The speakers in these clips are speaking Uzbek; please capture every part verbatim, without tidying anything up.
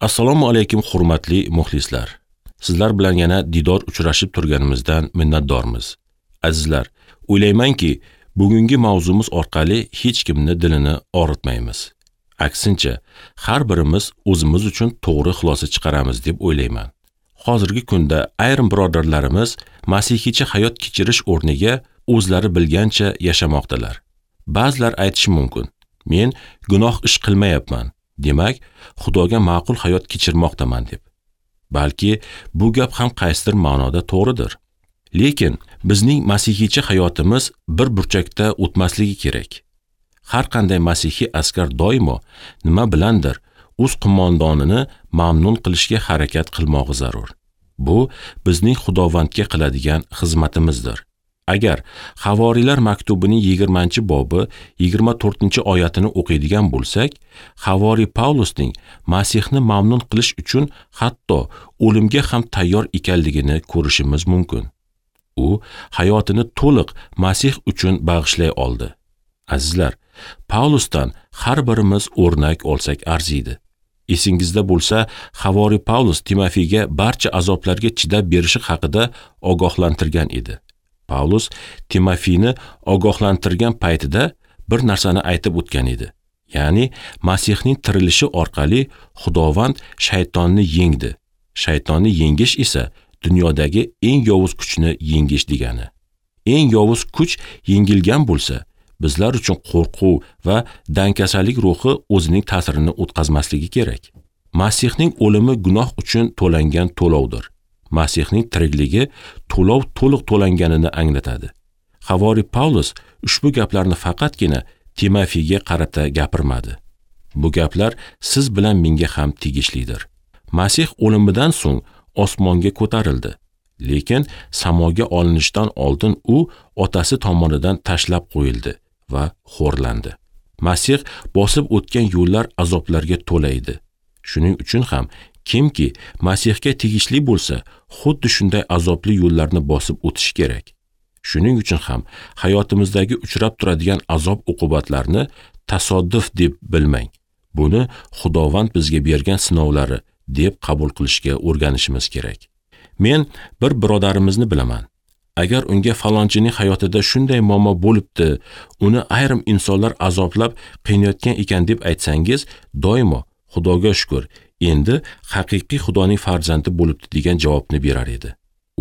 Assalomu alaykum hurmatli muxlislar. Sizlar bilan yana didor uchrashib turganimizdan minnatdormiz. Azizlar, o'ylaymanki, bugungi mavzumiz orqali hech kimni dilini og'ritmaymiz. Aksincha, har birimiz o'zimiz uchun to'g'ri xulosa chiqaramiz deb o'ylayman. Hozirgi kunda ayrim birodarlarimiz masihiycha hayot kechirish o'rniga o'zlari bilgancha yashamoqdalar. Ba'zilar aytishi mumkin: men gunoh ish qilmayapman, demak, Xudoga ma'qul hayot kechirmoqdaman deb. Balki bu gap ham qaysidir ma'noda to'g'ridir. Lekin bizning masihiycha hayotimiz bir burchakda o'tmasligi kerak. Har qanday masihiy askar doimo nima bilandir o'z qo'mondonini mamnun qilishga harakat qilmog'i zarur. Bu bizning Xudovandga qiladigan xizmatimizdir. Agar Havoriylar maktubining yigirmanchi bobi yigirma to'rtinchi oyatini o'qiydigan bo'lsak, Havoriy Pavlusning Masihni mamnun qilish uchun hatto o'limga ham tayyor ekanligini ko'rishimiz mumkin. U hayotini to'liq Masih uchun bag'ishlay oldi. Azizlar, Pavlusdan har birimiz o'rnak olsak arziydi. Esingizda bo'lsa, Havoriy Pavlus Timofeyga barcha azoblarga chidab berishi haqida ogohlantirgan edi. Pavlus Timofeyni ogohlantirgan paytida bir narsani aytib o'tgan edi. Ya'ni Masihning tirilishi orqali Xudovand shaytonni yengdi. Shaytonni yengish esa dunyodagi eng yovuz kuchni yengish degani. Eng yovuz kuch yengilgan bo'lsa, bizlar uchun qo'rquv va dangkasalik ruhi o'zining ta'sirini o'tkazmasligi kerak. Masihning o'limi gunoh uchun to'langan to'lovdir. Masihning tirikligi to'lov to'liq to'langanini anglatadi. Havoriy Pavlus ushbu gaplarni faqatgina Timofeyga qarata gapirmadi. Bu gaplar siz bilan menga ham tegishlidir. Masih o'limidan so'ng osmonga ko'tarildi. Lekin samoga olinishdan oldin u otasi tomonidan tashlab qo'yildi va xo'rlandi. Masih bosib o'tgan yo'llar azoblarga to'la edi. Shuning uchun ham kimki Masihga tegishli bo'lsa, xuddi shunday azobli yo'llarni bosib o'tishi kerak. Shuning uchun ham hayotimizdagi uchrab turadigan azob uqubatlarni tasodif deb bilmang. Buni Xudovand bizga bergan sinovlari deb qabul qilishga o'rganishimiz kerak. Men bir birodarimizni bilaman. Agar unga falonchining hayotida shunday muammo bo'libdi, uni ayrim insonlar azoblab qiynayotgan ekan deb aytsangiz, doimo Xudoga shukr, endi haqiqiy Xudoning farzandi bo'libdi degan javobni berar edi.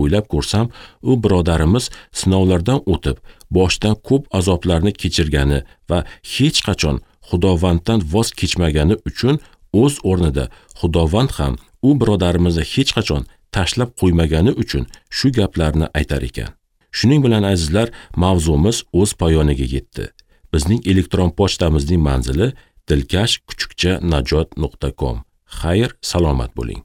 O'ylab ko'rsam, u birodarimiz sinovlardan o'tib, boshdan ko'p azoblarni kechirgani va hech qachon Xudovanddan voz kechmagani uchun o'z o'rnida Xudovand ham u birodarimizni hech qachon tashlab qo'ymagani uchun shu gaplarni aytar ekan. Shuning bilan azizlar, mavzumiz o'z poyoniga yetdi. Bizning elektron pochtamizning manzili dilkash kuchukcha najot nuqta com. Xayr, salomat bo'ling.